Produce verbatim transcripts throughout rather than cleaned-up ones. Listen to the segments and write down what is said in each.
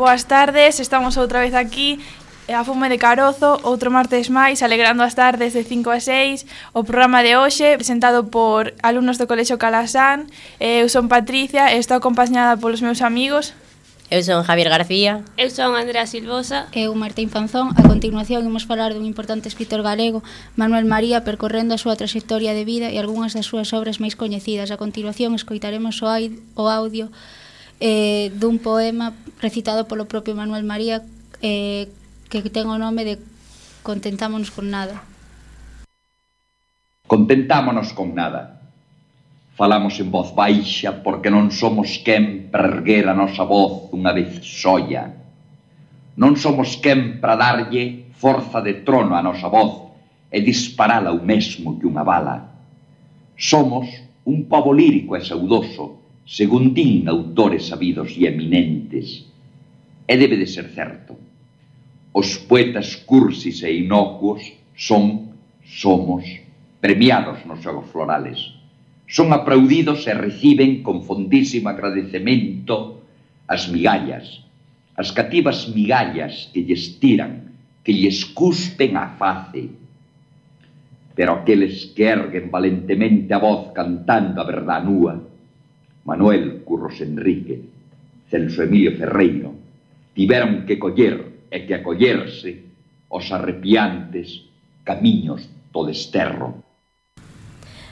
Boas tardes, estamos outra vez aquí a Fume de Carozo, outro martes máis, alegrando as tardes de cinco a seis. O programa de hoxe, presentado por alumnos do Colexio Calasán. Eu son Patricia e estou acompañada polos meus amigos. Eu son Javier García. Eu son Andrea Silvosa. Eu Martín Fanzón. A continuación imos falar dun importante escritor galego, Manuel María, percorrendo a súa traxectoria de vida e algunhas das súas obras máis coñecidas. A continuación escoitaremos o, ai, o audio eh, dun poema recitado polo propio Manuel María eh, que ten o nome de Contentámonos con nada. Contentámonos con nada. Falamos en voz baixa porque non somos quen para erguer a nosa voz unha vez soia. Non somos quen para darlle forza de trono a nosa voz e disparala o mesmo que unha bala. Somos un pobo lírico e saudoso, según din autores sabidos e eminentes. E debe de ser certo. Os poetas cursis e inocuos son, somos, premiados nos xogos florales. Son aplaudidos e reciben con fondísimo agradecemento as migallas, as cativas migallas que lles tiran, que lles cuspen a face. Pero aqueles que erguen valentemente a voz cantando a verdad núa, Manuel Curros Enrique, Celso Emilio Ferreiro, tiveron que coller e que acollerse os arrepiantes camiños do desterro.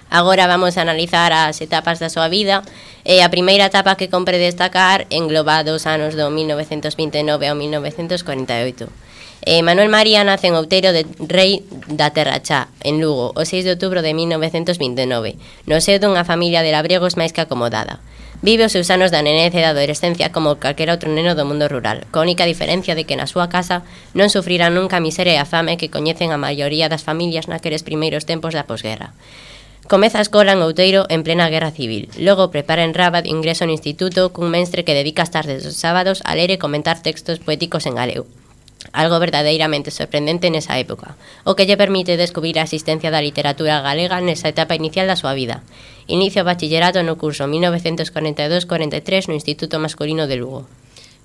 Agora vamos a analizar as etapas da súa vida e a primeira etapa que compre destacar engloba dos anos do mil novecentos vinte e nove ao mil novecentos cuarenta e oito. Eh, Manuel María nace en Outeiro de Rei da Terra Chá, en Lugo, o seis de outubro de mil novecentos vinte e nove, no seo dunha familia de labregos máis que acomodada. Vive os seus anos da nenez e da adolescencia como calquera outro neno do mundo rural, coa única diferencia de que na súa casa non sufrirá nunca a miseria e a fame que coñecen a maioría das familias naqueles primeiros tempos da posguerra. Comeza a escola en Outeiro en plena guerra civil. Logo prepara en Rabat ingreso no instituto cun mestre que dedica as tardes dos sábados a ler e comentar textos poéticos en galego. Algo verdadeiramente sorprendente nesa época, o que lle permite descubrir a existencia da literatura galega nesa etapa inicial da súa vida. Inicia o bachillerato no curso mil novecentos cuarenta e dous cuarenta e tres no Instituto Masculino de Lugo.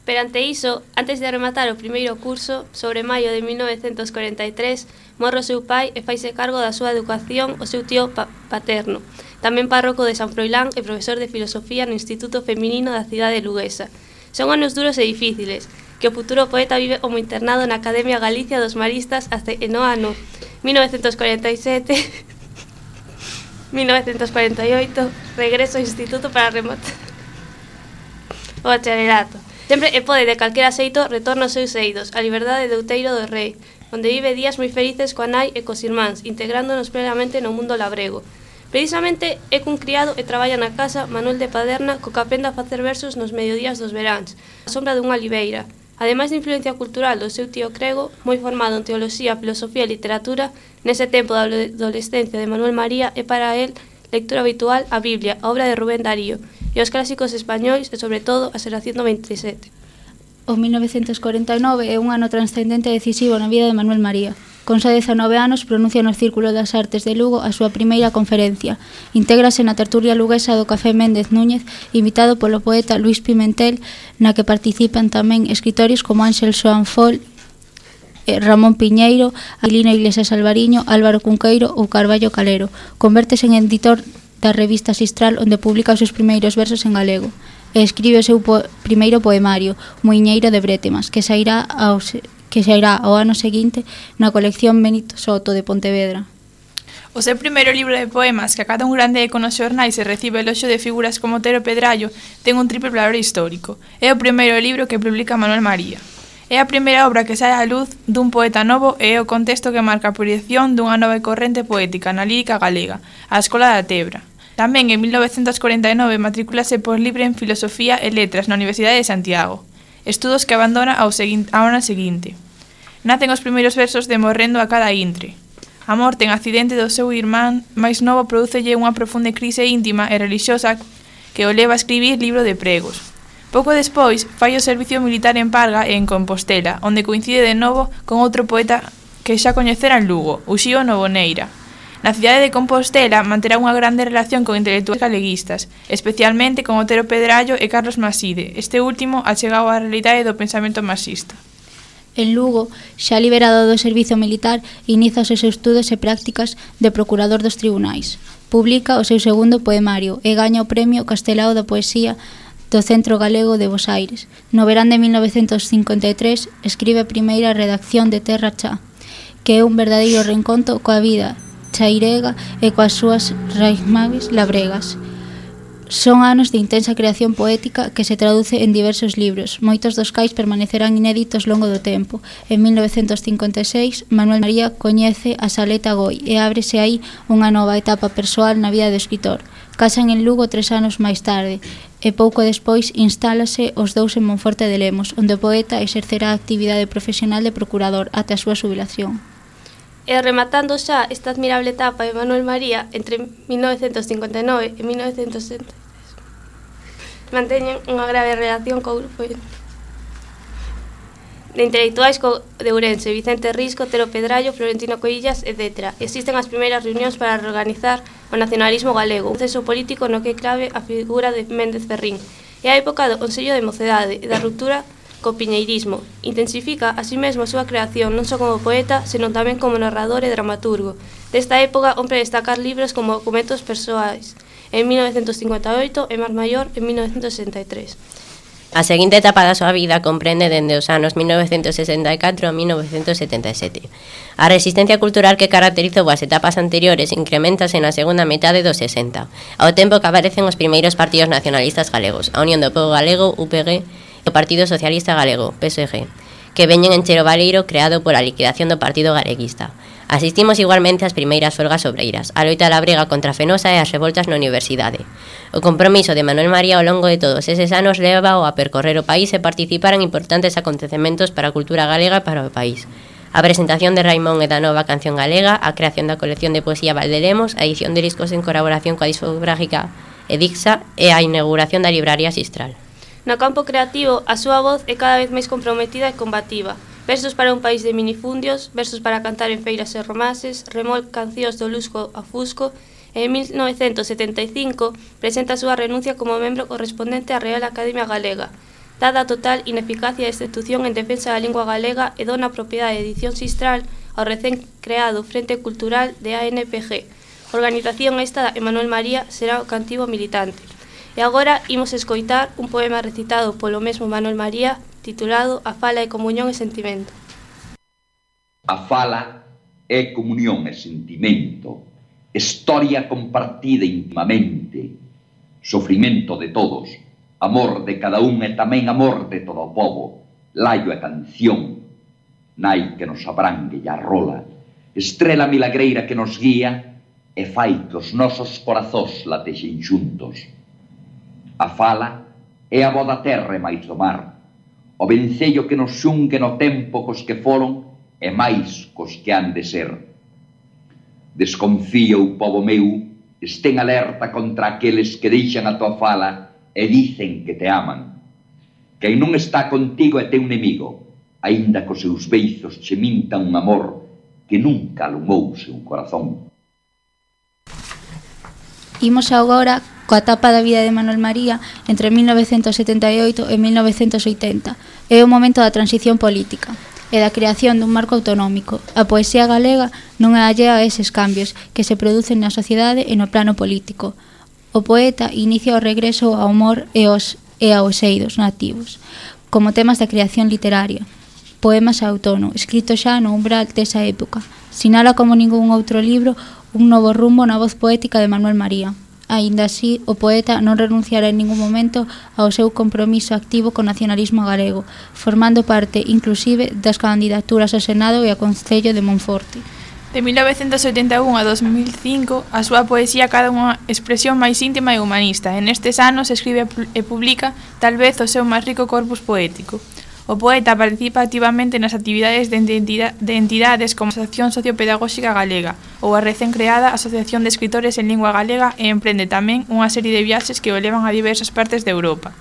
Perante iso, antes de rematar o primeiro curso, sobre maio de mil novecentos cuarenta e tres, morre o seu pai e faise cargo da súa educación o seu tío pa paterno, tamén párroco de San Froilán e profesor de filosofía no Instituto Feminino da cidade luguesa. Son anos duros e difíciles, que o futuro poeta vive como internado na Academia Galicia dos Maristas hasta no ano mil novecentos cuarenta e sete mil novecentos cuarenta e oito, regreso ao instituto para rematar o bacharelato. Sempre e pode de calquera xeito retorno aos seus eidos, a liberdade de Outeiro do Rei, onde vive días moi felices coa nai e cos irmáns, integrándonos plenamente no mundo labrego. Precisamente é cun criado e traballa na casa Manuel de Paderna, co que aprende a facer versos nos mediodías dos veráns, a sombra dunha oliveira. Ademais de influencia cultural do seu tío Crego, moi formado en teoloxía, filosofía e literatura, nese tempo da adolescencia de Manuel María é para él lectura habitual a Biblia, a obra de Rubén Darío, e os clásicos españois e, sobre todo, a Xeración do veintisiete. O mil novecentos cuarenta e nove é un ano transcendente e decisivo na vida de Manuel María. Con xa dezanove anos pronuncia no Círculo das Artes de Lugo a súa primeira conferencia. Intégrase na tertulia luguesa do Café Méndez Núñez, invitado polo poeta Luís Pimentel, na que participan tamén escritores como Ángel Xoán Fol, Ramón Piñeiro, Aquilino Iglesias Alvariño, Álvaro Cunqueiro ou Carballo Calero. Convértese en editor da revista Sistral, onde publica os seus primeiros versos en galego, e escribe o seu po primeiro poemario, Muiñeiro de Brétemas, que sairá ao, que sairá ao ano seguinte na colección Benito Soto de Pontevedra. O seu primeiro libro de poemas, que acada un grande eco nos xornais e recibe eloxo de figuras como Otero Pedrallo, ten un triple valor histórico. É o primeiro libro que publica Manuel María. É a primeira obra que sae á luz dun poeta novo e é o contexto que marca a proxección dunha nova corrente poética na lírica galega, a Escola da Tebra. Tamén en mil novecentos cuarenta e nove matricúlase por libre en Filosofía e Letras na Universidade de Santiago, estudos que abandona ao, ao ano seguinte. Nacen os primeiros versos de Morrendo a cada intre. A morte en accidente do seu irmán máis novo prodúcelle unha profunda crise íntima e relixiosa que o leva a escribir libro de pregos. Pouco despois, fai o servicio militar en Parga e en Compostela, onde coincide de novo con outro poeta que xa coñecera en Lugo, Uxío Novoneira. Na cidade de Compostela manterá unha grande relación con intelectuais galeguistas, especialmente con Otero Pedrallo e Carlos Maside, este último achegado á realidade do pensamento marxista. En Lugo, xa liberado do servizo militar, inicia os seus estudos e prácticas de procurador dos tribunais. Publica o seu segundo poemario e gaña o premio Castelao da Poesía do Centro Galego de Bos Aires. No verán de mil novecentos cincuenta e tres escribe a primeira redacción de Terra Chá, que é un verdadeiro reencontro coa vida chairega e coas súas raíces labregas. Son anos de intensa creación poética que se traduce en diversos libros, moitos dos cais permanecerán inéditos longo do tempo. En mil novecentos cincuenta e seis, Manuel María coñece a Saleta Goi e ábrese aí unha nova etapa persoal na vida do escritor. Casan en Lugo tres anos máis tarde e pouco despois instálase os dous en Monforte de Lemos, onde o poeta exercerá a actividade profesional de procurador ata a súa xubilación. E rematando xa esta admirable etapa de Manuel María entre mil novecentos cincuenta e nove e mil novecentos sesenta e tres, manteñen unha grave relación co grupo de intelectuais de Ourense, Vicente Risco, Otero Pedrallo, Florentino Coillas, etcétera. Existen as primeiras reunións para reorganizar o nacionalismo galego, un proceso político no que é clave a figura de Méndez Ferrín. É a época do Consello de Mocedade e da ruptura co piñeirismo. Intensifica así mesmo a súa creación non só como poeta, senón tamén como narrador e dramaturgo. Desta época, ompre destacar libros como Documentos Persoais, en mil novecentos cincuenta e oito e Mar Maior, en mil novecentos sesenta e tres. A seguinte etapa da súa vida comprende dende os anos mil novecentos sesenta e catro a mil novecentos setenta e sete. A resistencia cultural que caracterizou as etapas anteriores incrementase na segunda metade dos sesenta, ao tempo que aparecen os primeiros partidos nacionalistas galegos, a Unión do Pobo Galego, U P G, o Partido Socialista Galego, P S G, que veñen encher o baleiro creado pola liquidación do Partido Galeguista. Asistimos igualmente ás primeiras folgas obreiras, a loita da brega contra a Fenosa e as revoltas na universidade. O compromiso de Manuel María ao longo de todos eses anos leva-o a percorrer o país e participar en importantes acontecementos para a cultura galega e para o país. A presentación de Raimón e da nova canción galega, a creación da colección de poesía Valdelemos, a edición de discos en colaboración coa discográfica Edixa e a inauguración da libraría Sistral. No campo creativo, a súa voz é cada vez máis comprometida e combativa. Versos para un país de minifundios, versos para cantar en feiras e romances, remol cancións do Lusco a Fusco, e en mil novecentos setenta e cinco presenta a súa renuncia como membro correspondente á Real Academia Galega, dada a total ineficacia desta institución en defensa da lingua galega e dona a propiedade de Edición Sistral ao recén creado Frente Cultural de A N P G, organización esta de Manuel María será o cantivo militante. E agora imos escoitar un poema recitado polo mesmo Manuel María titulado A fala é comunión e sentimento. A fala é comunión e sentimento, historia compartida intimamente, sofrimento de todos, amor de cada un e tamén amor de todo o povo, laio e canción, nai que nos abrangue e arrola, estrela milagreira que nos guía e fai que os nosos corazós latexen xuntos. A fala é a voz da terra e máis do mar, o vencello que nos xungue no tempo cos que foron e máis cos que han de ser. Desconfía o povo meu, estén alerta contra aqueles que deixan a tua fala e dicen que te aman. Quen non está contigo é teu inimigo, aínda cos seus beizos che mintan un amor que nunca alumou seu corazón. Imos agora coa etapa da vida de Manuel María entre mil novecentos setenta e oito e mil novecentos oitenta. É o momento da transición política e da creación dun marco autonómico. A poesía galega non é allea a eses cambios que se producen na sociedade e no plano político. O poeta inicia o regreso ao humor e aos, e aos eidos nativos, como temas da creación literaria. Poemas a outono, escrito xa no umbral desa época. Sinala como ningún outro libro un novo rumbo na voz poética de Manuel María. Aínda así, o poeta non renunciará en ningún momento ao seu compromiso activo co nacionalismo galego, formando parte, inclusive, das candidaturas ao Senado e ao Concello de Monforte. De mil novecentos oitenta e un a dos mil cinco, a súa poesía cada unha expresión máis íntima e humanista, e nestes anos escribe e publica tal vez o seu máis rico corpus poético. O poeta participa activamente nas actividades de, entidade, de entidades como a Asociación Sociopedagóxica Galega ou a recén creada Asociación de Escritores en Lingua Galega e emprende tamén unha serie de viaxes que o levan a diversas partes de Europa.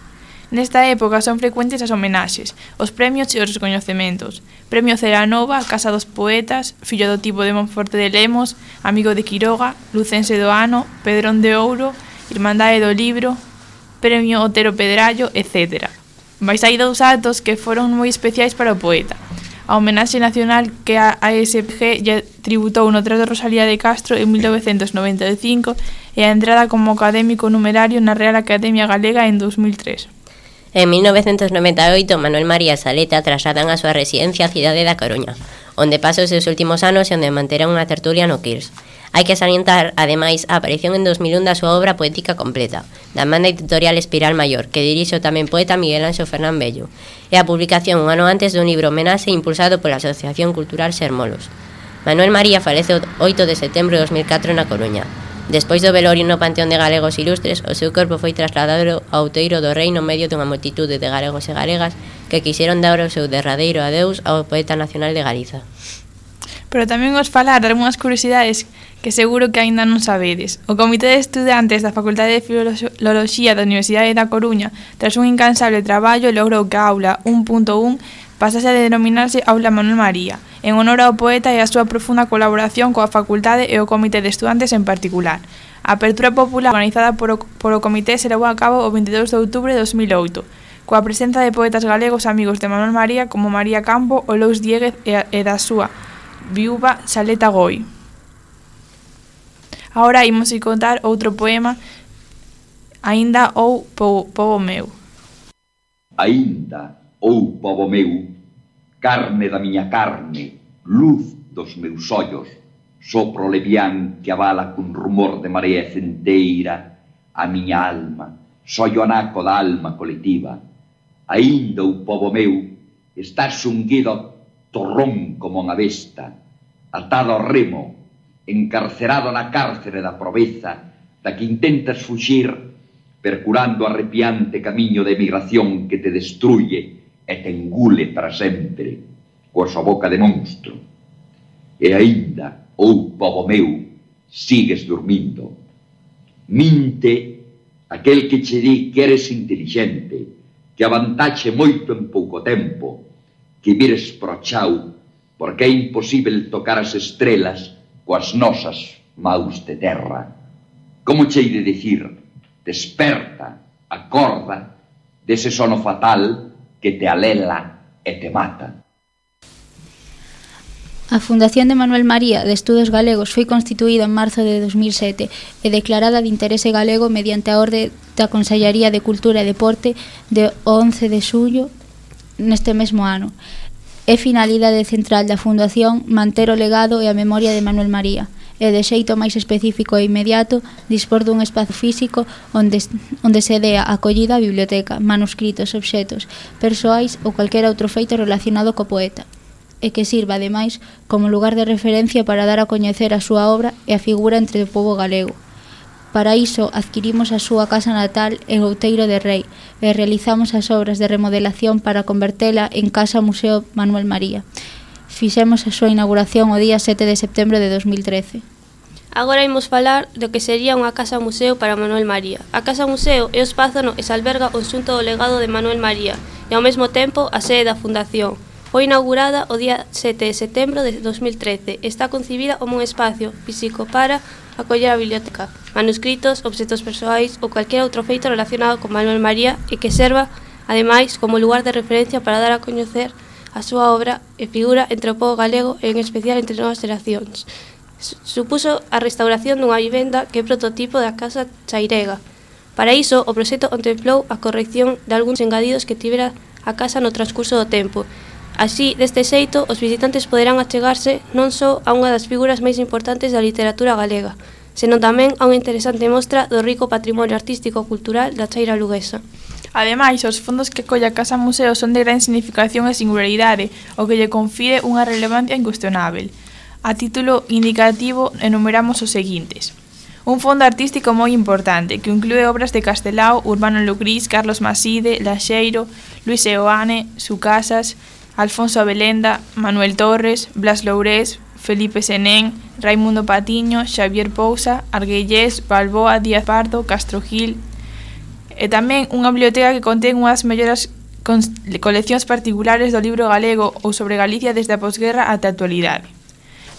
Nesta época son frecuentes as homenaxes, os premios e os recoñecementos. Premio Celanova, Casa dos Poetas, Fillo do Tipo de Monforte de Lemos, Amigo de Quiroga, Lucense do Ano, Pedrón de Ouro, Irmandade do Libro, Premio Otero Pedrallo, etcétera. Mais hai dous actos que foron moi especiais para o poeta. A homenaxe nacional que a A S G lle tributou no Teatro Rosalía de Castro en mil novecentos noventa e cinco e a entrada como académico numerario na Real Academia Galega en dos mil tres. En mil novecentos noventa e oito, Manuel María Saleta trasladan a súa residencia á cidade da Coruña, onde pasa os seus últimos anos e onde manterá unha tertulia no Quirs. Hai que salientar, ademais, a aparición en dos mil un da súa obra poética completa, da banda editorial Espiral Maior, que dirixe o tamén poeta Miguel Anxo Fernán Bello, e a publicación un ano antes dun libro homenaxe impulsado pola Asociación Cultural Sermolos. Manuel María falece o oito de setembro de dos mil catro na Coruña. Despois do velorio no Panteón de Galegos Ilustres, o seu corpo foi trasladado ao outeiro do Rei no medio dunha multitude de galegos e galegas que quixeron dar o seu derradeiro adeus ao poeta nacional de Galiza. Pero tamén os falar de algunhas curiosidades que seguro que aínda non sabedes. O Comité de Estudantes da Facultade de Filoloxía da Universidade da Coruña, tras un incansable traballo, logrou que a Aula un punto un pasase a denominarse Aula Manuel María, en honor ao poeta e a súa profunda colaboración coa facultade e o Comité de Estudantes en particular. A apertura popular organizada por o, por o Comité se levou a cabo o veintidós de outubro de dos mil oito, coa presenza de poetas galegos amigos de Manuel María como María Campo, o Lous Diéguez e, e da súa viúva Saleta Goi. Agora imos a contar outro poema, Aínda ou po, Pobo Meu. Aínda ou pobo meu, carne da miña carne, luz dos meus ollos, sopro levián que avala cun rumor de marea centeira a miña alma, soy o anaco da alma colectiva. Aínda ou pobo meu, estás xunguido ao torrón como unha besta, atado ao remo, encarcerado na cárcere da proveza, da que intentas fuxir, percurando o arrepiante camiño de emigración que te destruye e te engule para sempre, coa súa boca de monstro. E aínda, ou pobo meu, sigues dormindo. Minte aquel que che di que eres intelixente, que avantaxe moito en pouco tempo, que vires pro chau, porque é imposible tocar as estrelas coas nosas maus de terra. Como che de dicir, desperta, acorda, dese sono fatal que te alela e te mata. A Fundación de Manuel María de Estudos Galegos foi constituída en marzo de dos mil sete e declarada de interese galego mediante a orde da Consellaría de Cultura e Deporte de once de xullo neste mesmo ano. É finalidade central da Fundación manter o legado e a memoria de Manuel María e, de xeito máis específico e inmediato, dispor dun espazo físico onde, onde se dea acollida a biblioteca, manuscritos, obxetos, persoais ou calquera outro feito relacionado co poeta, e que sirva, ademais, como lugar de referencia para dar a coñecer a súa obra e a figura entre o pobo galego. Para iso, adquirimos a súa casa natal en Outeiro de Rei e realizamos as obras de remodelación para convertela en Casa Museo Manuel María. Fixemos a súa inauguración o día sete de setembro de dos mil trece. Agora imos falar do que sería unha casa museo para Manuel María. A casa museo é o espazo no que se alberga o xunto do legado de Manuel María e ao mesmo tempo a sede da Fundación. Foi inaugurada o día sete de setembro de dos mil trece. Está concibida como un espacio físico para acoller a biblioteca, manuscritos, obxetos persoais ou calquera outro feito relacionado con Manuel María e que serva, ademais, como lugar de referencia para dar a coñecer a súa obra e figura entre o pobo galego e en especial entre novas xeracións. Supuso a restauración dunha vivenda que é prototipo da Casa Chairega. Para iso, o proxecto contemplou a corrección de algúns engadidos que tivera a casa no transcurso do tempo. Así, deste xeito, os visitantes poderán achegarse non só a unha das figuras máis importantes da literatura galega, senón tamén a unha interesante mostra do rico patrimonio artístico e cultural da Chaira luguesa. Ademais, os fondos que colle a Casa Museo son de gran significación e singularidade, o que lle confire unha relevancia incuestionável. A título indicativo, enumeramos os seguintes. Un fondo artístico moi importante, que inclúe obras de Castelao, Urbano Lucris, Carlos Maside, Laxeiro, Luis Eoane, Sucasas, Alfonso Abelenda, Manuel Torres, Blas Lourés, Felipe Senén, Raimundo Patiño, Xavier Pousa, Arguellés, Balboa, Díaz Pardo, Castro Gil, e tamén unha biblioteca que contén unhas mellores coleccións particulares do libro galego ou sobre Galicia desde a posguerra ata a actualidade.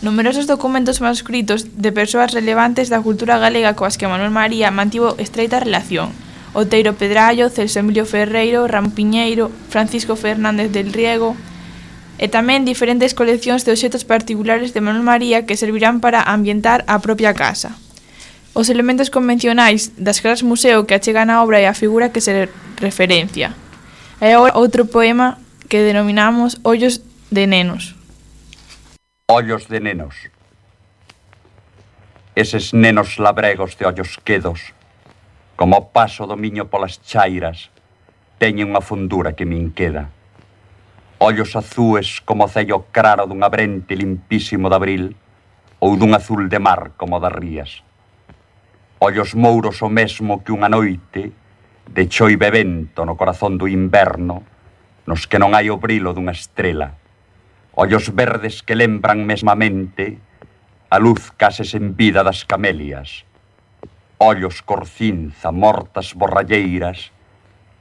Numerosos documentos manuscritos de persoas relevantes da cultura galega coas que Manuel María mantivo estreita relación. Outeiro Pedrallo, Celso Emilio Ferreiro, Ramón Piñeiro, Francisco Fernández del Riego, e tamén diferentes coleccións de obxetos particulares de Manuel María que servirán para ambientar a propia casa. Os elementos convencionais das casas museo que achegan a obra e a figura que se referencia. E agora outro poema que denominamos Ollos de nenos. Ollos de nenos. Eses nenos labregos de ollos quedos, como o paso do miño polas chairas, teñen unha fundura que me inqueda. Ollos azúes como o cello claro dun abrente limpísimo de abril ou dun azul de mar como das rías. Ollos mouros o mesmo que unha noite de choive vento no corazón do inverno, nos que non hai o brilo dunha estrela. Ollos verdes que lembran mesmamente a luz case sen vida das camelias. Ollos cor cinza, mortas borralleiras,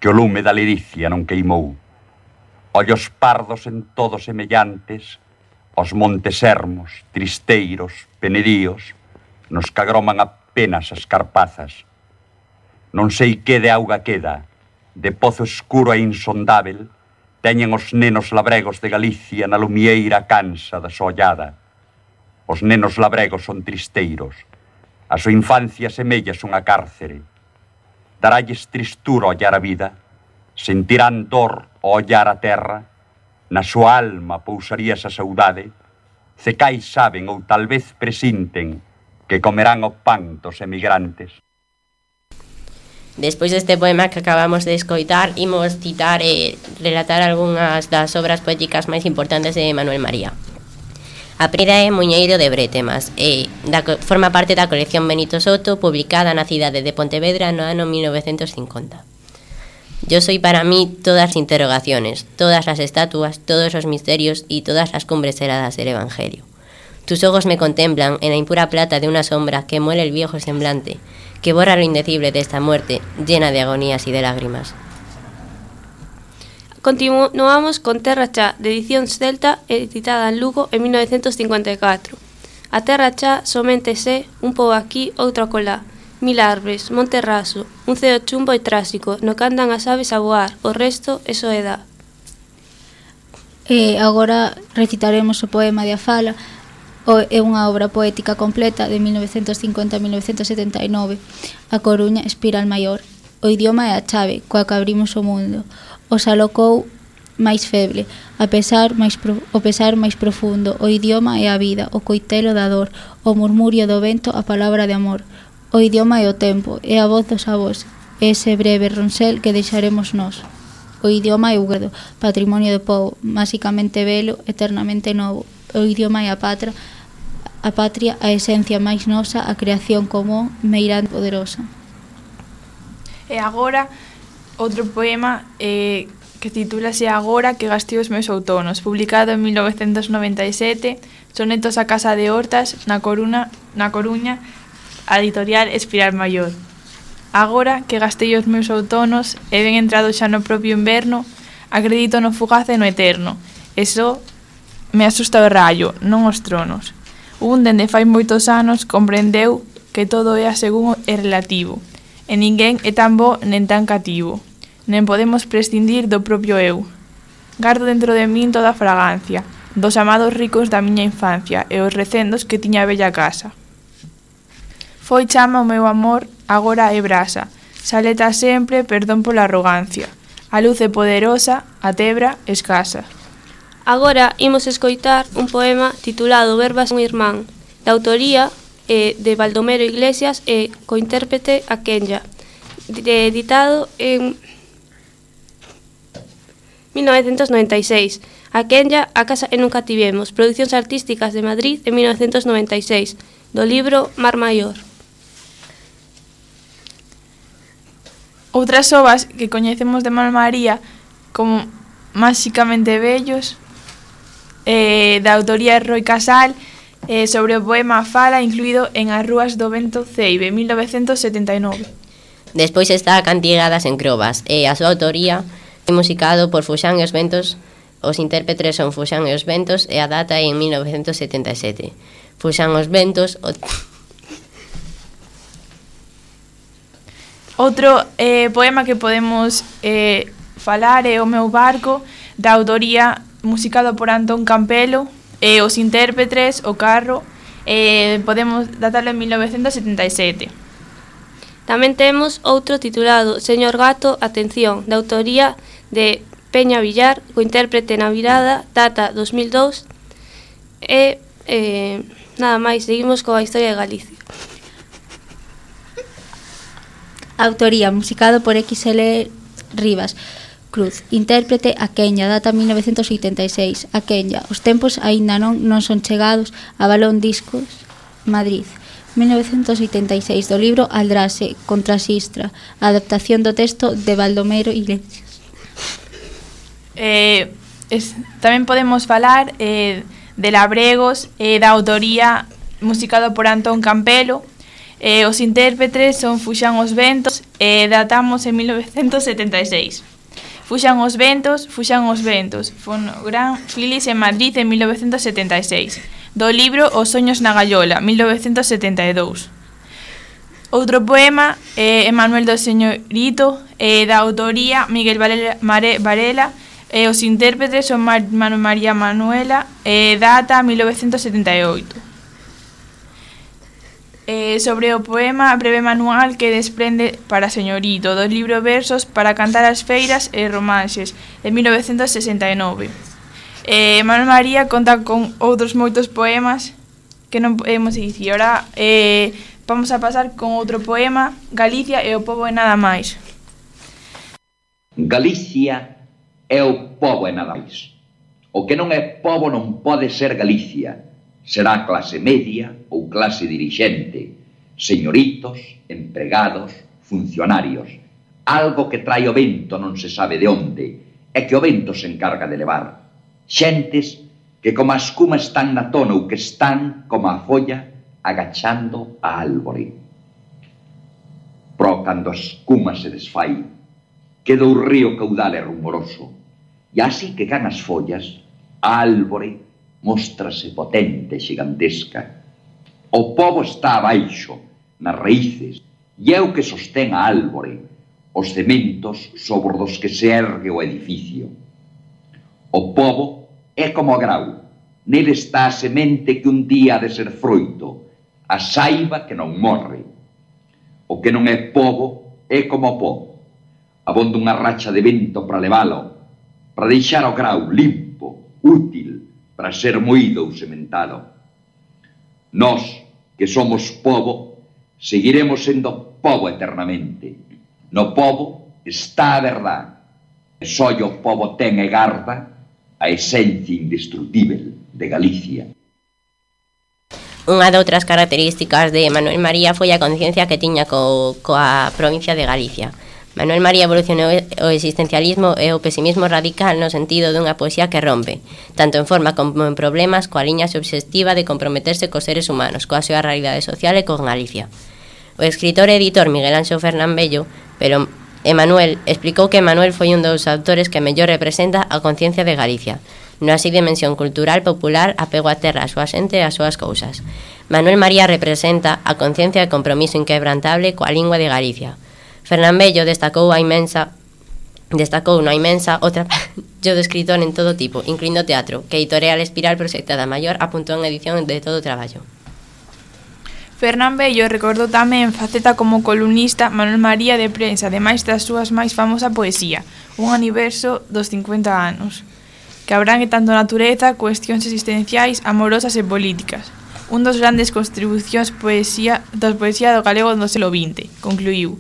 que o lume da liricia non queimou. Ollos pardos en todo semellantes, aos montes ermos, tristeiros, penedíos, nos que agroman apenas as carpazas. Non sei que de auga queda, de pozo escuro e insondável, teñen os nenos labregos de Galicia na lumieira cansa da sollada. Os nenos labregos son tristeiros. A súa infancia semella unha cárcere. Daralles tristura ollar a vida, sentirán dor ao ollar a terra, na súa alma pousaría esa saudade, cecais saben ou tal vez presinten que comerán o pan dos emigrantes. Despois deste poema que acabamos de escoitar, imos citar e relatar algunhas das obras poéticas máis importantes de Manuel María. A primeira é Muñeiro de Brétemas e da, forma parte da colección Benito Soto, publicada na cidade de Pontevedra no ano mil novecentos cincuenta. Yo soy para mí todas las interrogaciones, todas las estatuas, todos los misterios y todas las cumbres heladas del Evangelio. Tus ojos me contemplan en la impura plata de una sombra que muele el viejo semblante, que borra lo indecible de esta muerte, llena de agonías y de lágrimas. Continuamos con Terra Chá, de edición celta, editada en Lugo en mil novecientos cincuenta e catro. A Terra Chá somente sé un pouco aquí, outro acolá. Mil árbores, monte raso, un ceo chumbo e trásico, no que andan as aves a voar, o resto é soedad. E agora recitaremos o poema de A Fala. O, é unha obra poética completa de mil novecientos cincuenta a mil novecientos setenta e nove. A Coruña, Espiral Maior. O idioma é a chave coa que abrimos o mundo. Os alocou máis feble, a pesar máis pro, o pesar máis profundo. O idioma é a vida, o coitelo da dor, o murmurio do vento, a palabra de amor. O idioma é o tempo, é a voz dos avós, é ese breve ronsel que deixaremos nós. O idioma é o guedo, patrimonio do povo, máxicamente velo, eternamente novo. O idioma é a patria, a patria, a esencia máis nosa, a creación común, meirande poderosa. E agora, outro poema eh, que titúlase Agora que gastei os meus outonos, publicado en mil novecentos noventa e sete, sonetos a Casa de Hortas, na Coruña, na Coruña, a editorial Espiral Maior. Agora que gastei os meus outonos e ben entrado xa no propio inverno, acredito no fugaz e no eterno. E só me asusta o raio, non os tronos. Un dende fai moitos anos comprendeu que todo é a según e relativo, e ninguén é tan bo nen tan cativo, nen podemos prescindir do propio eu. Gardo dentro de min toda a fragancia dos amados ricos da miña infancia e os recendos que tiña a bella casa. Foi chama o meu amor, agora é brasa, saleta sempre, perdón pola arrogancia. A luz é poderosa, a tebra escasa. Agora imos escoitar un poema titulado Verbas un irmán, de autoría eh, de Baldomero Iglesias e co intérprete a Kenya, de, editado en mil novecientos noventa e seis. A Kenya, A casa e nunca tivemos, Producións Artísticas de Madrid en mil novecientos noventa e seis, do libro Mar Maior. Outras obras que coñecemos de Manuel María como Máxicamente Bellos, eh, da autoría de Roi Casal, eh, sobre o poema Fala, incluído en As rúas do vento Ceibe, mil novecientos setenta e nove. Despois está Cantigadas en Crobas e a súa autoría é musicado por Fuxán e os Ventos. Os intérpretes son Fuxán e os Ventos e a data é en mil novecientos setenta e sete. Fuxán os Ventos... O... Outro eh, poema que podemos eh, falar é O meu barco, da autoría musicado por Antón Campelo, e os intérpretes, O carro, eh, podemos datarlo en mil novecientos setenta e sete. Tamén temos outro titulado Señor Gato, atención, da autoría de Peña Villar, co intérprete na virada, data dos mil dous, e eh, nada máis, seguimos coa historia de Galicia. Autoría, musicado por X L Rivas Cruz. Intérprete a Kenya, data mil novecientos oitenta e seis. A Kenya, os tempos aínda non non son chegados a Balón Discos, Madrid. mil novecientos oitenta e seis, do libro Aldrase, contra Sistra, a adaptación do texto de Baldomero Iglesias. Eh, es, tamén podemos falar eh, de Labregos, eh, da autoría musicado por Antón Campelo. Eh, os intérpretes son Fuxán os Ventos e eh, datamos en mil novecientos setenta e seis. Fuxán os Ventos, Fuxán os Ventos, Fonogran Filis en Madrid en mil novecientos setenta e seis. Do libro Os soños na gaiola, mil novecientos setenta e dous. Outro poema, eh, Emanuel do Señorito, eh, da autoría Miguel Varela, Mare, Varela e eh, os intérpretes son Mar, Manuel María Manuela, eh, data mil novecientos setenta e oito. Eh, sobre o poema breve manual que desprende para Señorito, do libro Versos para cantar as feiras e romances, de mil novecientos sesenta e nove. Eh, Manuel María conta con outros moitos poemas que non podemos dicir. Ora, eh, Vamos a pasar con outro poema, Galicia e o pobo e nada máis. Galicia é o pobo e nada máis. O que non é pobo non pode ser Galicia. Será clase media ou clase dirixente, señoritos, empregados, funcionarios. Algo que trae o vento non se sabe de onde, e que o vento se encarga de levar. Xentes que como a escuma están na tona ou que están como a folla agachando a árbore. Pero cando a escuma se desfai, queda o río caudal e rumoroso, e así que can as follas, a árbore móstrase potente e xigantesca. O pobo está abaixo, nas raíces, e é o que sostén a árbore, os cementos sobre os que se ergue o edificio. O pobo é como o grau, nele está a semente que un día ha de ser froito, a saiba que non morre. O que non é pobo é como o pó, abonda unha racha de vento para levalo, para deixar o grau limpo, útil, para ser moído ou sementado. Nós, que somos pobo, seguiremos sendo pobo eternamente. No pobo está a verdade, e só o pobo ten e garda a esencia indestrutível de Galicia. Unha doutras características de Manuel María foi a conciencia que tiña co, coa provincia de Galicia. Manuel María evolucionou o existencialismo e o pesimismo radical no sentido dunha poesía que rompe, tanto en forma como en problemas, coa liña obsesiva de comprometerse cos seres humanos, coa súa realidade social e con Galicia. O escritor e editor Miguel Anxo Fernán Bello, pero Emanuel, explicou que Emanuel foi un dos autores que mellor representa a conciencia de Galicia, nunha así dimensión cultural, popular, apego á terra, a súa xente e as súas cousas. Manuel María representa a conciencia de compromiso inquebrantable coa lingua de Galicia. Fernán Bello destacou a inmensa destacou unha inmensa outra yo de escritor en todo tipo, incluindo teatro, que Editorial Espiral Proxectada Maior apuntou en edición de todo o traballo. Fernán Bello recordou tamén faceta como columnista Manuel María de prensa, ademais das súas máis famosa poesía, un aniverso dos cincuenta anos, que abrangue tanto natureza, cuestións existenciais, amorosas e políticas. Un dos grandes contribucións poesía, das poesía do galego do século vinte, concluiu,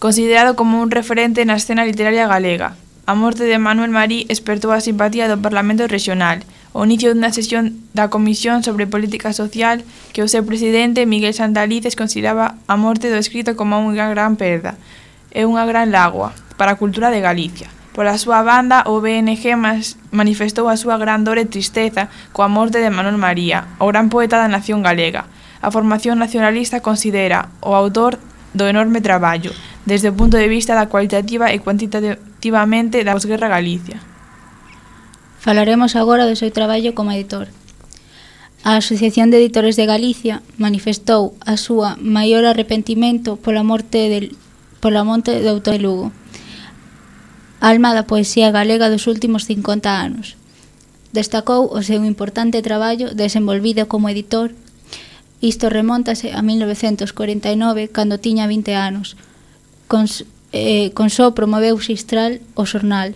considerado como un referente na escena literaria galega. A morte de Manuel María espertou a simpatía do Parlamento Regional, o inicio dunha sesión da Comisión sobre Política Social que o seu presidente, Miguel Santalices, consideraba a morte do escrito como unha gran perda e unha gran lágoa para a cultura de Galicia. Pola súa banda, o B N G manifestou a súa gran dor e tristeza coa morte de Manuel María, o gran poeta da nación galega. A formación nacionalista considera o autor do enorme traballo, desde o punto de vista da cualitativa e cuantitativamente da posguerra Galicia. Falaremos agora do seu traballo como editor. A Asociación de Editores de Galicia manifestou a súa maior arrepentimento pola morte del, pola morte do autor de Lugo, alma da poesía galega dos últimos cincuenta anos. Destacou o seu importante traballo desenvolvido como editor. Isto remóntase a mil novecentos cuarenta e nove, cando tiña vinte anos. Con, eh, con só promoveu Xistral o xornal,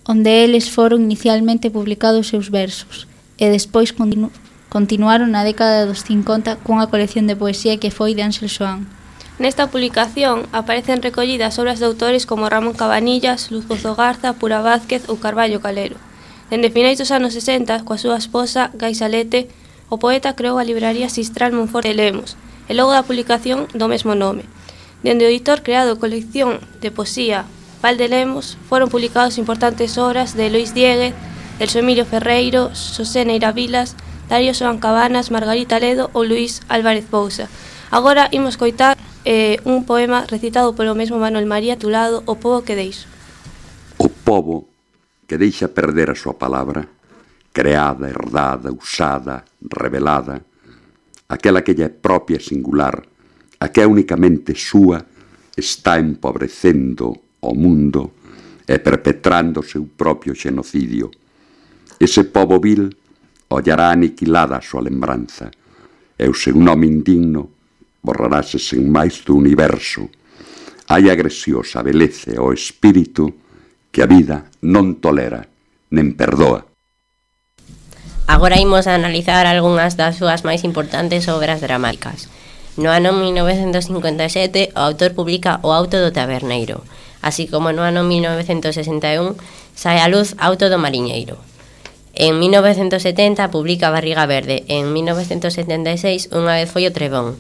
onde eles foron inicialmente publicados seus versos, e despois continu continuaron na década dos cincuenta cunha colección de poesía que foi de Ángel Xoán. Nesta publicación aparecen recollidas obras de autores como Ramón Cabanillas, Luz Pozo Garza, Pura Vázquez ou Carballo Calero. Dende finais dos anos sesenta, coa súa esposa, Gai Salete, o poeta creou a libraría Xistral Monforte de Lemos, e logo da publicación do mesmo nome. Dende o editor creado colección de poesía Val de Lemos, foron publicados importantes obras de Lois Dieguez, Celso Emilio Ferreiro, Xosé Neira Vilas, Darío Xoán Cabanas, Margarita Ledo ou Luís Álvarez Pousa. Agora imos coitar eh, un poema recitado polo mesmo Manuel María titulado O pobo que deixo. O pobo que deixa perder a súa palabra, creada, herdada, usada, revelada, aquela que lle é propia e singular, a que é únicamente súa, está empobrecendo o mundo e perpetrando o seu propio xenocidio. Ese pobo vil ollará aniquilada a súa lembranza, e o seu nome indigno borrarase sen máis do universo. Hai agresións a beleza ao espírito que a vida non tolera, nen perdoa. Agora imos a analizar algunhas das súas máis importantes obras dramáticas. No ano mil novecentos cincuenta e sete, o autor publica O auto do taberneiro, así como no ano mil novecentos sesenta e un sae a luz Auto do mariñeiro. En mil novecentos setenta publica Barriga verde e en mil novecentos setenta e seis Unha vez foi o trebón.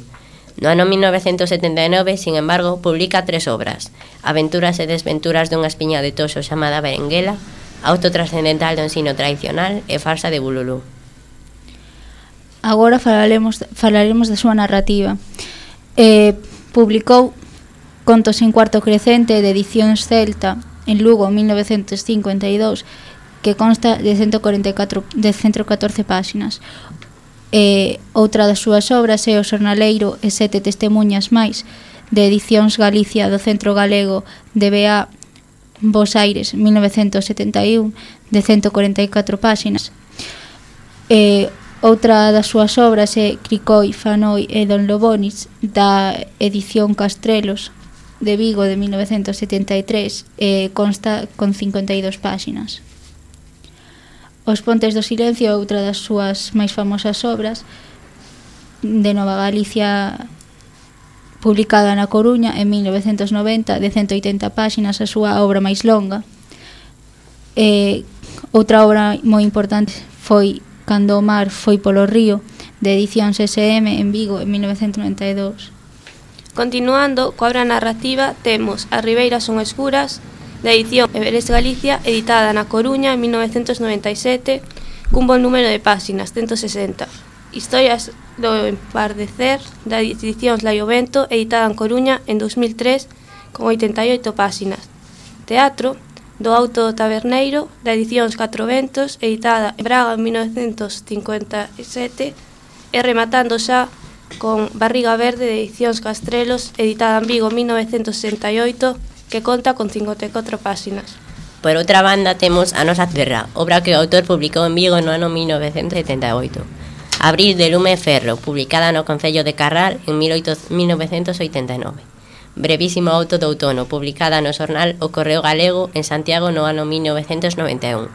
No ano mil novecentos setenta e nove, sin embargo, publica tres obras: Aventuras e desventuras dunha espiña de toxo chamada Berenguela, Auto trascendental do ensino tradicional e Farsa de Bululú. Agora falaremos, falaremos da súa narrativa. Eh, publicou Contos en cuarto crecente de Edicións Celta en Lugo en mil novecentos cincuenta e dous, que consta de ciento cuarenta e catro, de ciento catorce páxinas. Eh, outra das súas obras é O xornaleiro e sete testemunhas máis, de Edicións Galicia do Centro Galego de B A Bos Aires, mil novecentos setenta e un, de ciento cuarenta e catro páxinas. Eh, outra das súas obras é Cricoi, Fanoi e Don Lobonis, da edición Castrelos de Vigo de mil novecentos setenta e tres, e consta con cincuenta e dous páxinas. Os Pontes do Silencio é outra das súas máis famosas obras, de Nova Galicia, publicada na Coruña en mil novecentos noventa, de ciento oitenta páxinas, a súa obra máis longa. E outra obra moi importante foi Cando o mar foi polo río, de Edicións S M en Vigo en mil novecentos noventa e dous. Continuando coa obra narrativa, temos As Ribeiras son escuras, de edición Everest Galicia, editada na Coruña en mil novecentos noventa e sete, cun bon número de páxinas, ciento sesenta. Historias do empardecer, da edicións Laiovento, editada en Coruña en dos mil tres, con oitenta e oito páxinas. Teatro, do Auto do taberneiro, da edicións Catro Ventos, editada en Braga en mil novecentos cincuenta e sete, e rematando xa con Barriga verde, de edicións Castrelos, editada en Vigo en mil novecentos sesenta e oito, que conta con cincuenta e catro páxinas. Por outra banda, temos A nosa terra, obra que o autor publicou en Vigo no ano mil novecentos setenta e oito. Abril de lume e ferro, publicada no Concello de Carral en mil novecentos oitenta e nove. Brevísimo auto do outono, publicada no xornal O Correo Galego en Santiago no ano mil novecentos noventa e un.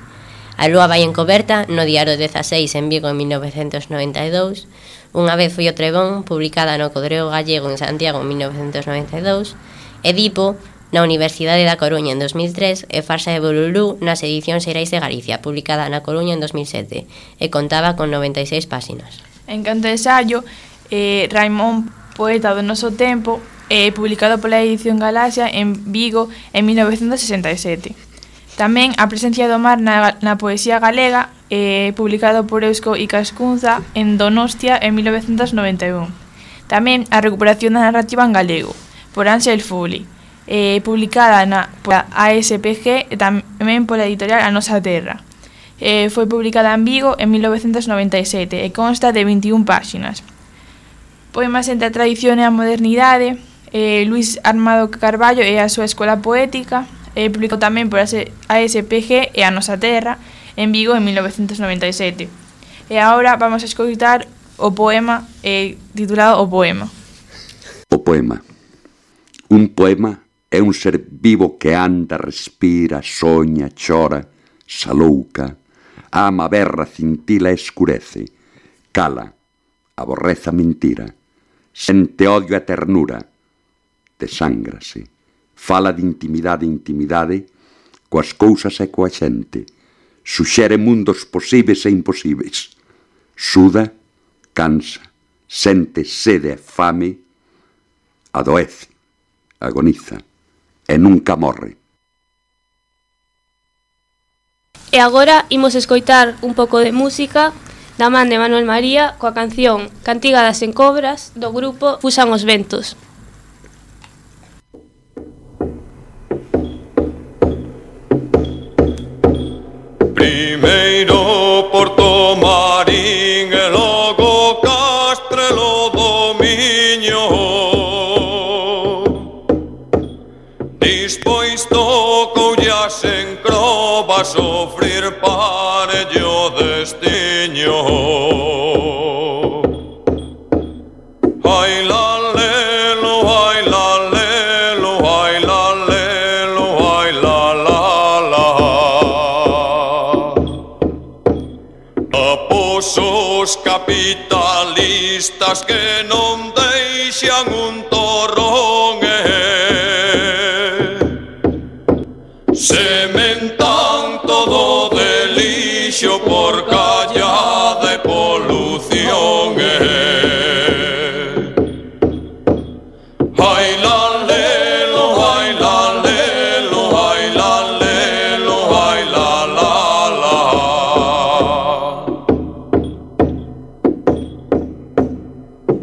A lúa vai encoberta no Diario dezaseis en Vigo en mil novecentos noventa e dous. Unha vez foi o trebón, publicada no Correo Gallego en Santiago en mil novecentos noventa e dous. Edipo na Universidade da Coruña en dos mil tres e Farsa de Bululú nas edicións Xerais de Galicia, publicada na Coruña en dos mil sete, e contaba con noventa e seis páxinas. En canto de ensayo, eh, Raimón, poeta do noso tempo, eh, publicado pola edición Galaxia en Vigo en mil novecentos sesenta e sete. Tamén A presencia do mar na, na poesía galega, eh, publicado por Eusko Ikaskuntza en Donostia en mil novecentos noventa e un. Tamén A recuperación da narrativa en galego, por Ángel Fuli, eh, publicada na pola A S P G e tamén pola editorial A Nosa Terra. Eh, foi publicada en Vigo en mil novecentos noventa e sete e consta de veintiún páxinas. Poemas entre a tradición e a modernidade, eh, Luis Armado Carballo e a súa escola poética, eh, publicou tamén por a S P G e A Nosa Terra en Vigo en mil novecentos noventa e sete. E agora vamos a escoitar o poema eh, titulado O Poema. O poema. Un poema é un ser vivo que anda, respira, soña, chora, salouca, ama, berra, cintila, escurece, cala, aborreza mentira, sente odio e ternura, desángrase, fala de intimidade e intimidade coas cousas e coa xente, suxere mundos posíveis e imposíveis, suda, cansa, sente sede e fame, adoece, agoniza e nunca morre. E agora imos escoitar un pouco de música da man de Manuel María coa canción Cantiga das Encobras do grupo Fusan os Ventos. Primeiro Porto Marín e logo Castrelo do Miño, dispois tocoulle as encrobas sofrir parello destiño. Ai la lelo, ai la lelo, ai la lelo, ai la la la. Apos os capitalistas que non deixan borrón sementan todo de lixo por calla de polución Ai la lelo, ai la lelo, ai la lelo, ai la la la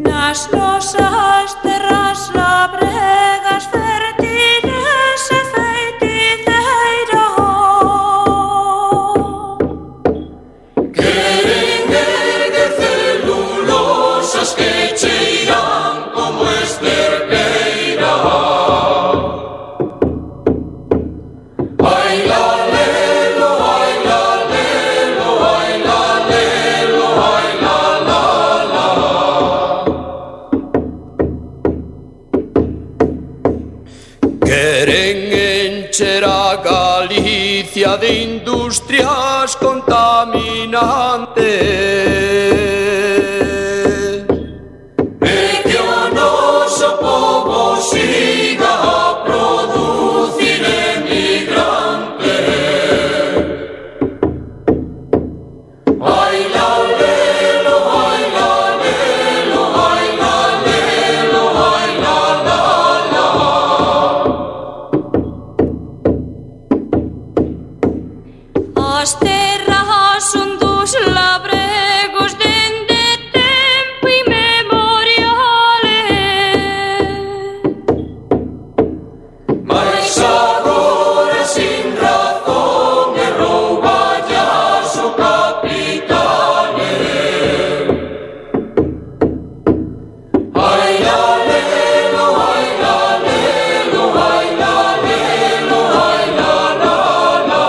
Nas nosas terras labregas fértiles e feiticeiro Queren erguer celulosas que cheiran como esterqueira Ai la lelo, ai la lelo, ai la lelo, ai la la la Queren encher a Galicia de industrias contaminantes E que o noso povo siga a producir emigrantes Ai la lelo, ai la lelo, ai la lelo, ai la la la As terras son dos labregos dende tempo inmemoriales Mais agora sin razón e rouballas o capitane Ai la lelo, ai la lelo, ai la lelo, ai la la la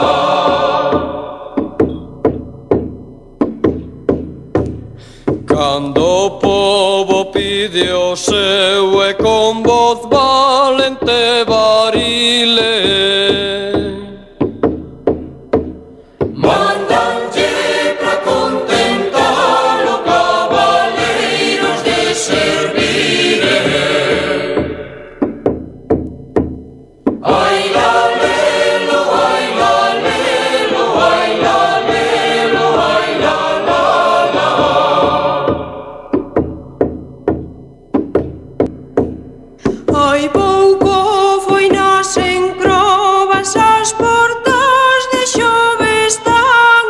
Cando o povo pide o seu e con voz valente varile Mandanlle pra contentar o cabaleiros de servire Ai la lelo, ai la lelo, ai la lelo, ai la la la Hai pouco foi nas encrobas as portas de Xove están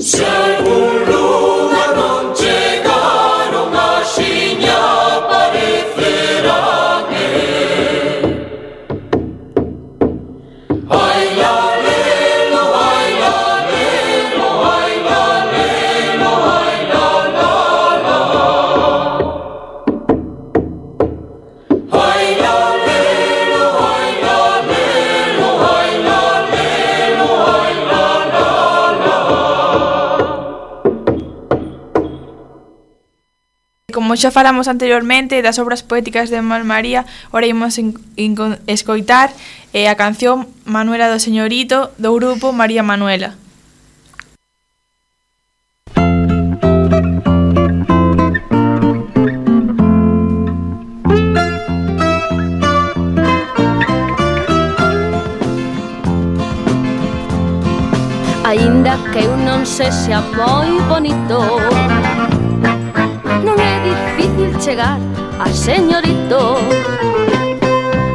Se algún lugar non chegaron axiña aparecerán Ai la lelo, ai la lelo, ai la lelo, ai la la la Ai la lelo, ai la lelo, ai la lelo, ai la la la Como xa falamos anteriormente das obras poéticas de Manuel María, ora imos en, en, escoitar eh, a canción Manuela do Señorito do grupo María Manuela. Aínda que eu non sexa moi bonito, non é difícil chegar a señorito.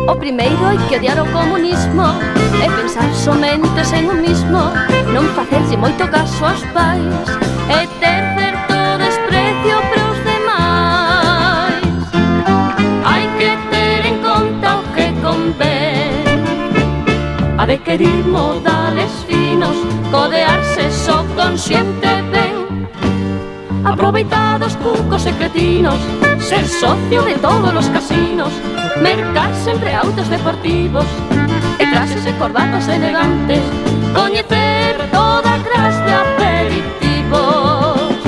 O primeiro hai que odiar o comunismo e pensar somente en un mismo, non facerlle moito caso aos pais e ter certo desprecio para os demais. Hai que ter en conta o que convén, a de querer modales finos, codearse só con xente ben, aproveitados cucos e cretinos, ser socio de todos os casinos, mercar sempre autos deportivos e traxes e corbatas elegantes, coñecer toda clase de aperitivos.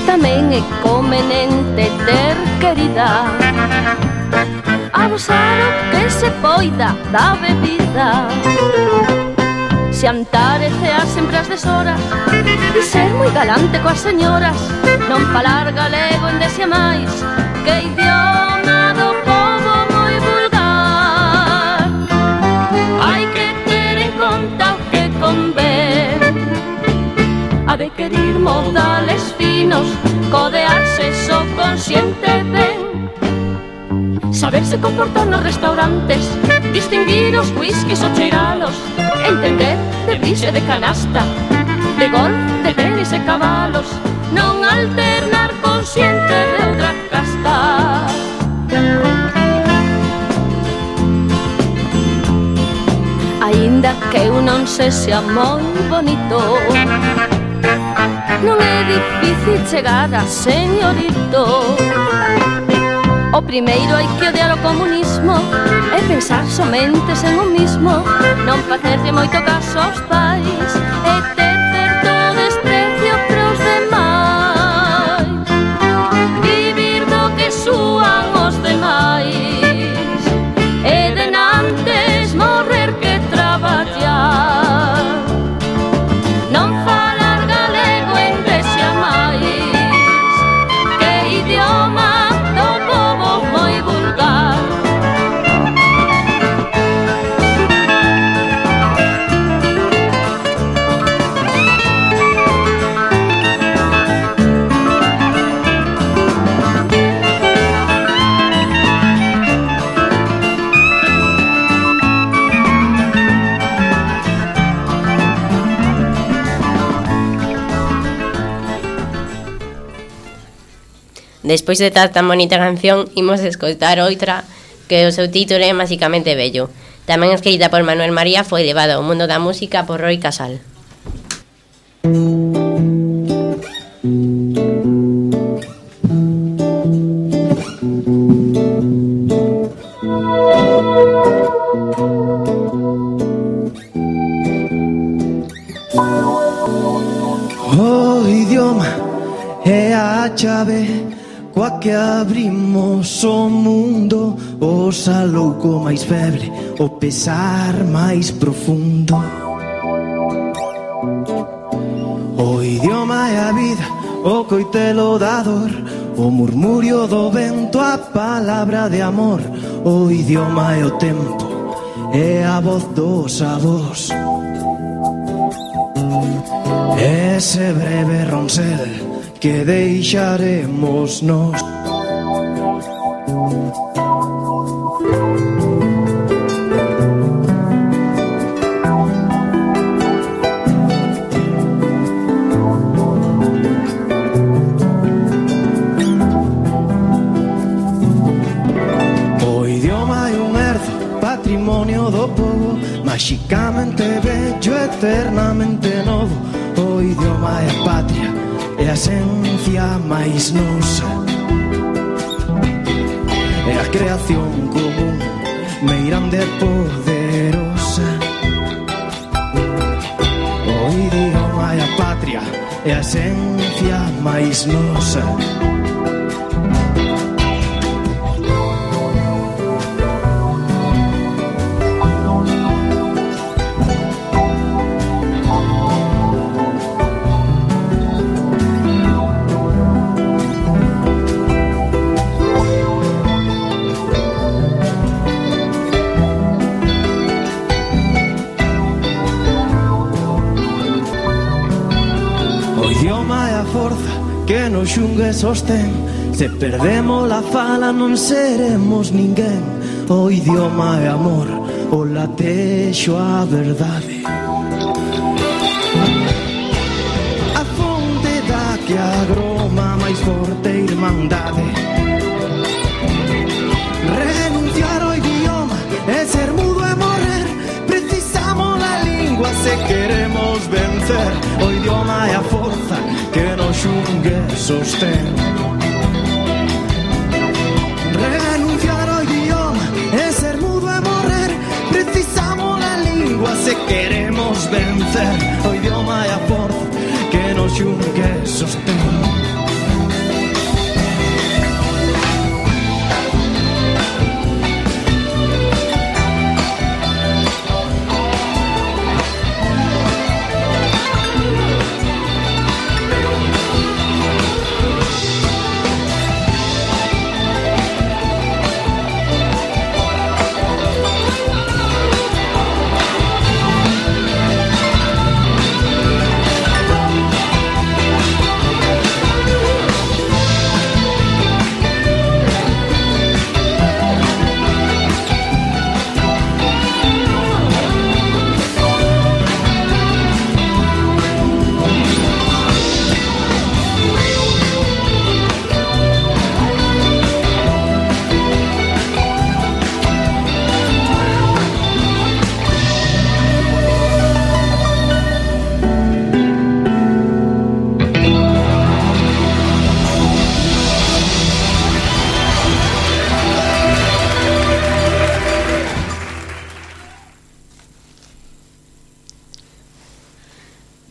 Tamén é conveniente ter querida, abusar o que se poida da bebida, Xantarecear sempre as deshoras e ser moi galante coas señoras. Non falar galego en desia máis, que idioma do povo moi vulgar. Hai que ter en conta o que convén, a de querir modales finos, codearse só consciente ben. Saberse comportar nos restaurantes, distinguir os whiskies ou cheiralos, entender de brise de canasta, de golf, de tenis e cabalos, non alternar consciente de outra casta. Aínda que eu non se sea moi bonito, non é difícil chegar a señorito. O primeiro hai que odiar o comunismo e pensar somente en o mismo, non facerlle moito caso aos pais e ter certo desprecio pros demais. Vivir do que súan os demais e denantes morrer que traballar. Non falar galego en desia máis, que idioma moi vulgar. Despois de tan bonita canción, imos escoitar outra que o seu título é Máxicamente bello. Tamén escrita por Manuel María, foi levada ao mundo da música por Roy Casal. O idioma é a chave coa que abrimos o mundo, o salouco máis feble, o pesar máis profundo. O idioma é a vida, o coitelo da dor, o murmurio do vento, a palabra de amor. O idioma é o tempo, é a voz dos avós. Ese breve ronsel que deixaremos nós. O idioma é un herzo, patrimonio do povo, máxicamente bello, eternamente novo. O idioma é a patria, é a esencia máis nosa, é a creación común, meirande e poderosa. O idioma é a patria, é a esencia máis nosa. Que nos xungue sostén, se perdemos la fala non seremos ninguén. O idioma é amor, o latexo a verdade, a fonte da que agroma máis forte irmandade. Renunciar ao idioma é ser mudo e morrer, precisamos a lingua se queremos vencer. O idioma é a forza que nos xungue sostén. Renunciar ao idioma é ser mudo e morrer, precisamos a lingua se queremos vencer. O idioma é a forza que nos xungue sostén. O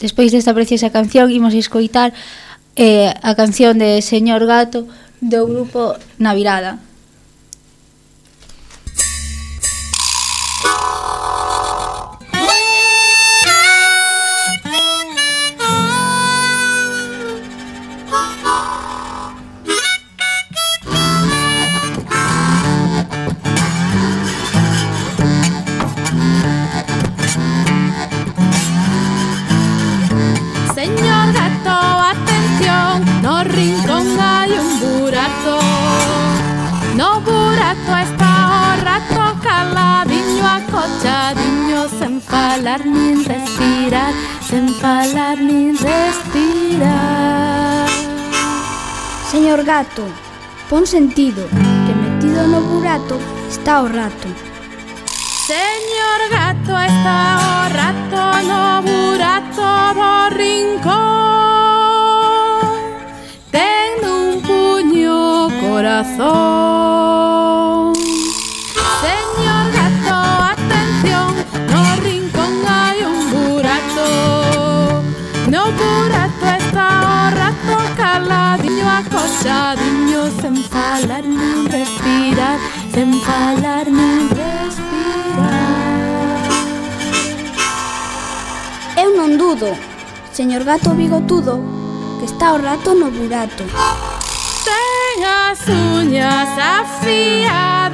Despois desta preciosa canción imos escoitar eh, a canción de Señor Gato do grupo Na Virada. Señor gato, atención, no rincón hai un burato. No burato está o rato caladiño, acochadiño, sen falar nin respirar, sen falar nin respirar. Señor gato, pon sentido, que metido no burato está o rato. Señor gato, está o rato no burato do rincón. Ten un puño corazón. Señor gato, atención, no rincón hai un burato. No burato está o rato caladiño, acochadiño, sen falar nin respirar, sen falar nin respirar. Eu non dudo, señor gato bigotudo, que está o rato no burato. Ten as uñas afiadas,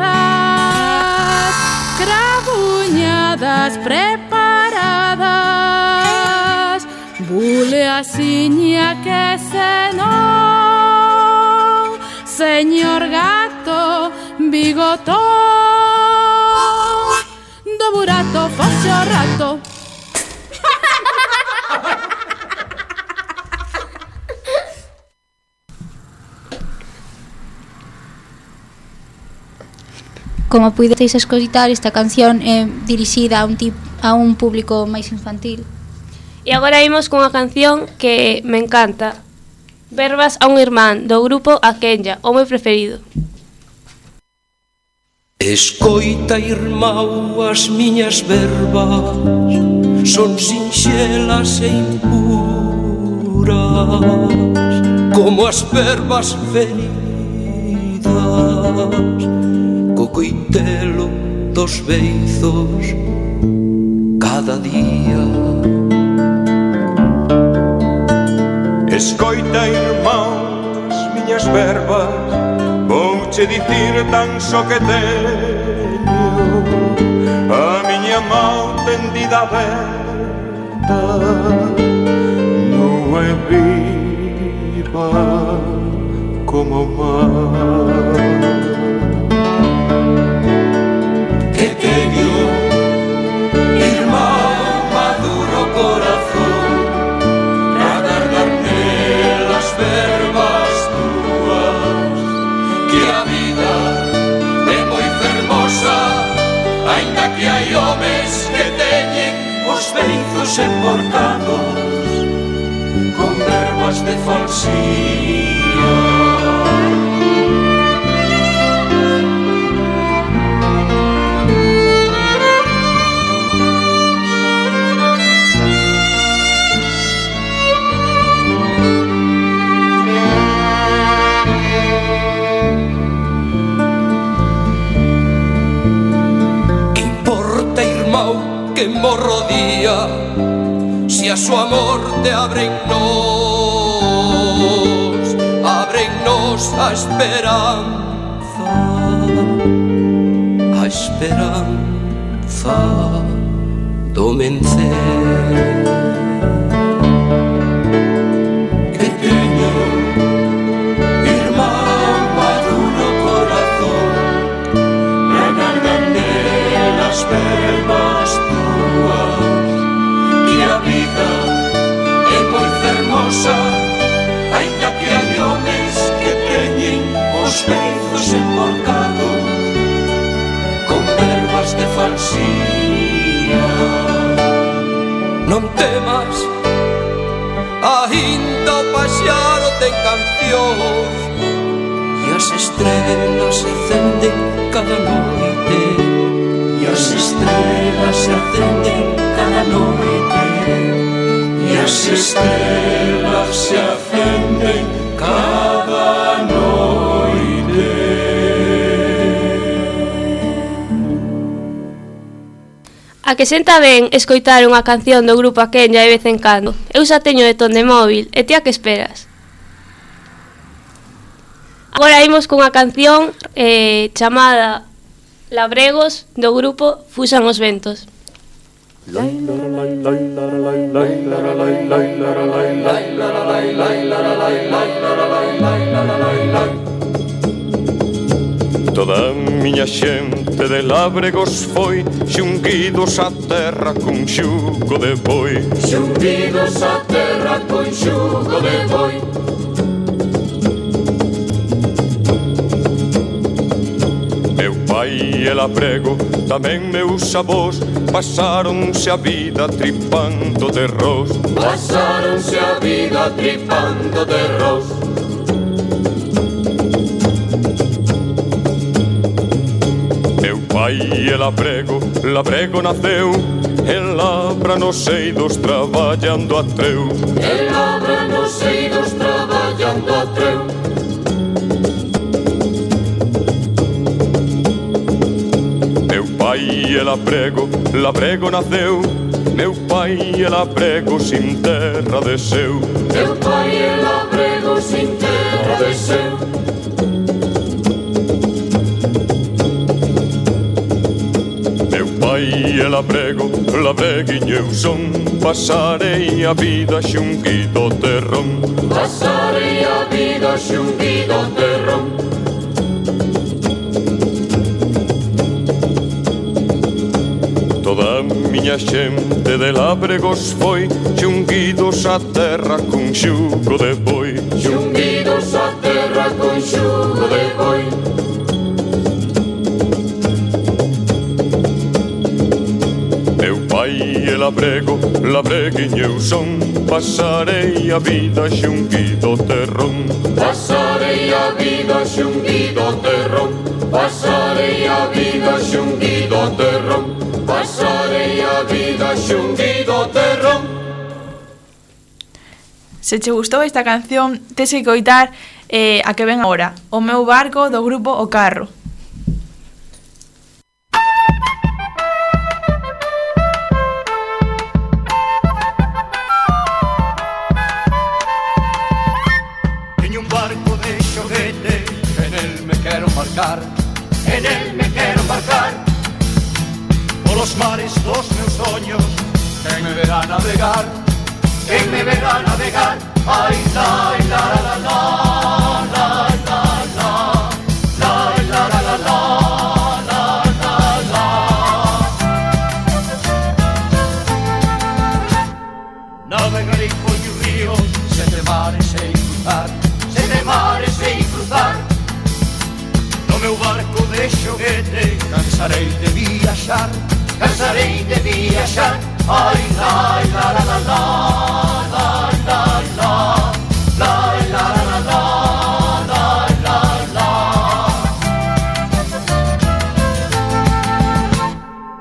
crabuñadas preparadas. Bule a xiña que se non, señor gato bigotón, do burato foxe o rato. Como puideis escoitar, esta canción é dirixida a un, tip, a un público máis infantil. E agora imos cunha canción que me encanta. Verbas a un irmán, do grupo A Kenya, o meu preferido. Escoita, irmão, as miñas verbas son sinxelas e impuras, como as verbas feridas co coitelo dos beizos cada día. Escoita, irmão, as miñas verbas, vouche dicir tan só que teño a miña mão tendida aberta, nua e viva como o mar. Que teño, irmão, maduro corazón, pra guardar nelas verbas túas, que a vida é moi fermosa, aínda que hai homes que teñen os beizos emborcados con verbas de falsía. Que morro día, si a su amor te abren nos, abren nos a esperanza, a esperanza do vencer. Que teño, irmán, maduro corazón, pra guardar nelas verbas túas, que a vida é moi fermosa, aínda que hai homes que teñen os beizos emborcados con verbas de falsía. Non temas, aínda o paxaro ten cancións, e as estrelas se acenden cada noite, e as estrelas se acenden cada noite, e as estrelas se acenden cada noite. A que senta ben escoitar unha canción do grupo Aquenya de vez en cando. Eu xa teño de ton de móvil, e ti a que esperas? Agora imos cunha canción eh, chamada Labregos do grupo Fuxan os ventos. Toda a miña xente de Labregos foi xunguidos á terra cun xugo de boi. Xunguidos á terra con xugo de boi. Meu pai e Labrego, tamén meus avós, pasáronse a vida tripando de ros. Pasáronse a vida tripando de ros. Meu pai e Labrego, Labrego naceu en labra nos eidos traballando a treu. En labra nos eidos traballando a treu. Meu pai e Labrego, Labrego naceu, meu pai e Labrego sin terra desceu. Meu pai e Labrego sin terra desceu. Meu pai e Labrego, Labreguinho eu son, pasarei a vida xunguido terrón. Pasarei a vida xunguido terrón. Toda a miña xente de Labregos foi xunguidos á terra cun xugo de boi. Xunguidos á terra con xugo de boi. Meu pai e Labrego, Labreguinho eu son, pasarei a vida xunguido terrón. Pasarei a vida xunguido terrón. Pasarei a vida xunguido terrón. Pasarei a vida xunguido terrón. Se che gustou esta canción, tes que coitar eh, a que ven agora, O meu barco do grupo O Carro. Teño un barco de xoguete, en el me quero embarcar, en el me quero embarcar. Polos mares dos meus soños, quen me verá navegar, quen me verá navegar. Ai, lai, la, la, la, la, la, la, la, lai, la, la, la, la, la, la, la. Navegarei polos ríos, sete mares sei cruzar, sete mares sei cruzar. No meu barco de xoguete, cansarei de viaxar, cansarei de viaxar. Ai, lai, la, la, la, la, la, la, la, lai, la, la, la, la, la, la, la.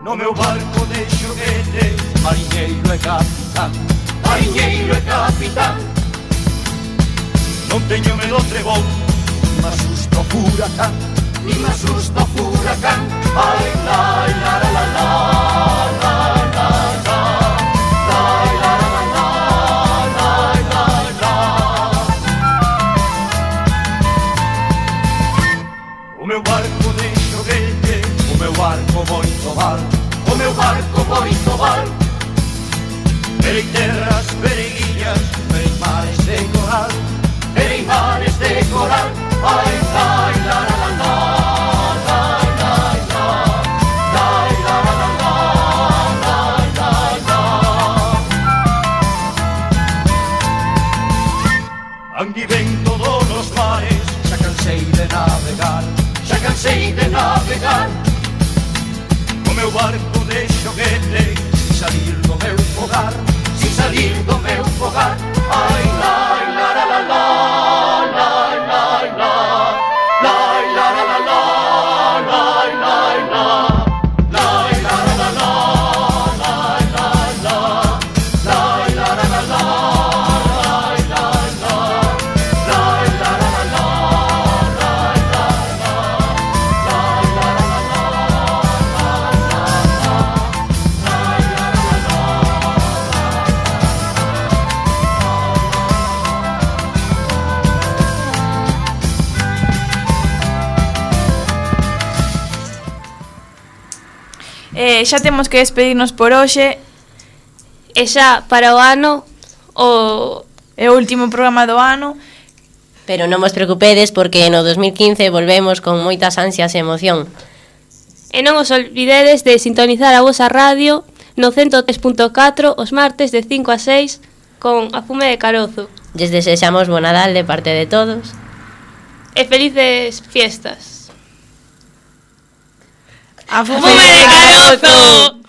No meu barco de xoguete, mariñeiro e capitán, mariñeiro e capitán. Non teño medo ao trebón, ni me asusto ao furacán, ni me asusto ao furacán. Ai, lai, la, la, la, la, la, la, la, lai, la, la, la, la, la, la, la. O meu barco de xoguete, o meu barco moito val, o meu barco moito val. Verei terras, verei illas, verei mares de coral, verei mares de coral. Ai, lai, la, la, la, la, lai, lai, la, lai, la, la, la, la, lai, lai, la. Andi ben todos os mares, xa cansei de navegar, xa cansei de navegar. O meu barco de xoguete, sin salir do meu fogar, sin salir do meu fogar. Ai, lai, la, la, la, la, lai, lai, la, lai, la, la, la, la, lai, lai, la, lai, la, la, la, la, lai, lai, la, lai, la, la, la, la. Eh, xa temos que despedirnos por hoxe. E xa para o ano o é o último programa do ano. Pero non vos preocupedes porque no dos mil quince volvemos con moitas ansias e emoción. E non os olvidedes de sintonizar a vosa radio no ciento tres punto catro os martes de cinco a seis con A Fume de Carozo. Lles desexamos bo Nadal de parte de todos. E felices fiestas. A Fume de Carozo!